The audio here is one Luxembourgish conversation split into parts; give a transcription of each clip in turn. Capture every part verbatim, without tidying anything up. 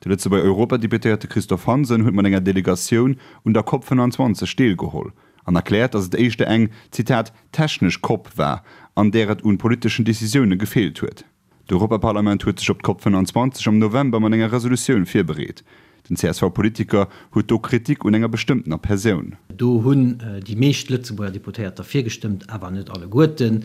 De Lëtzebuerger Europadeputéierte Christophe Hansen huet mat enger Delegatioun un der COP fënnanzwanzeg deelgeholl an erkläert, datt et éischter eng, Zitat, technesch COP war, an där et un politeschen Decisioune gefeelt huet. D'Europaparlament huet sech op d'COP fënnanzwanzeg am November mat enger Resolutioun virbereet. Den C S V-Politiker huet do Kritik un enger bestëmmtener Persoun. Do hunn déi meescht Lëtzebuerger Deputéiert derfir gestëmmt, awer net alleguerten,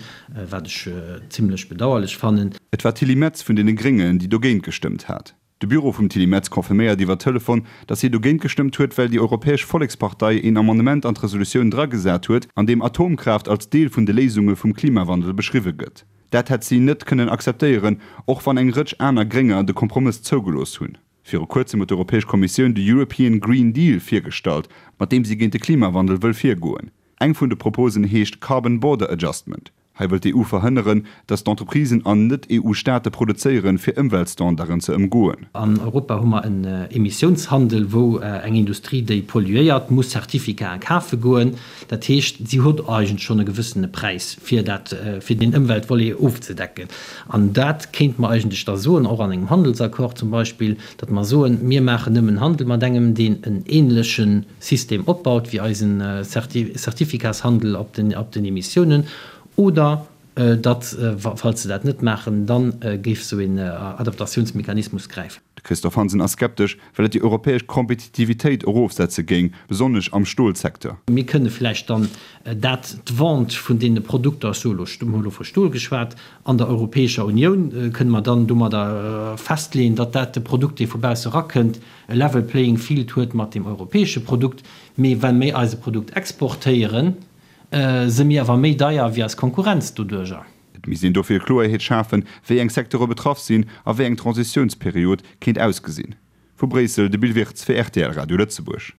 wat ech zimlech bedauerlech fannen. Et war d'Tilly Metz vun deene Gréngen, déi dogéint gestëmmt hat. De Büro vum Tilly Metz confirméiert iwwer Telefon, datt si dogéint gestëmmt huet, well déi Europäesch Vollekspartei een Amendement an d'Resolutioun dragesat huet, an deem Atomkraaft als Deel vun de Léisunge vum Klimawandel beschriwwe gëtt. Dat hätt si net kënnen akzeptéieren, och wann eng Rëtsch aner Grénger de Kompromëss zougelooss hunn. Viru kuerzem huet d'Europäesch Kommissioun de European Green Deal virgestallt, mat deem si géint de Klimawandel wëll virgoen. Eng vun de Proposen heescht Carbon Border Adjustment. Hei wëllt d'E U verhënneren, datt d'Entreprisen an Net-E U-Staate produzéieren, fir Ëmweltstandarden ze ëmgoen. An Europa hu mer en Emissiounshandel, wou eng Industrie, déi polluéiert, muss Certificaten kafe goen. Dat heescht, si huet eigentlech schonn e gewëssene Präis, fir dat, fir deen Ëmweltvolet ofzedecken. An dat kéinte mer eigentlech da soen, och an engem Handelsaccord zum Beispill, datt mer soen, mir maachen nëmmen Handel mat engem, deen en änleche System opbaut wéi eisen Certificatshandel op den, op den Emissiounen, oder datt, falls se dat net maachen, da géif esou een Adaptatiounsmechanismus gräifen. De Christophe Hansen ass skeptesch, well et déi europäesch Kompetitivitéit erofsetze géing, besonnesch am Stolsecteur. Mir kënne vläicht dann dat, d'Vente vun deene Produkter, ech soe elo, mir hu elo vu Stol geschwat, an der Europäescher Unioun, kënne mer dann domadder festleeën, datt dat de Produkt, dee vu bausse erakënnt, e level playing field huet mat deem europäesche Produkt. Mee wa mir eise Produkt exportéieren, si mir awer méi deier wéi eis Konkurrenz doduerjer. Et misst een dofir Kloerheet schafen, wéi eng Secteure betraff sinn a wéi eng Transitiounsperiod kéint ausgesinn. Vu Bréissel de Bill Wirtz fir R T L Radio Lëtzebuerg.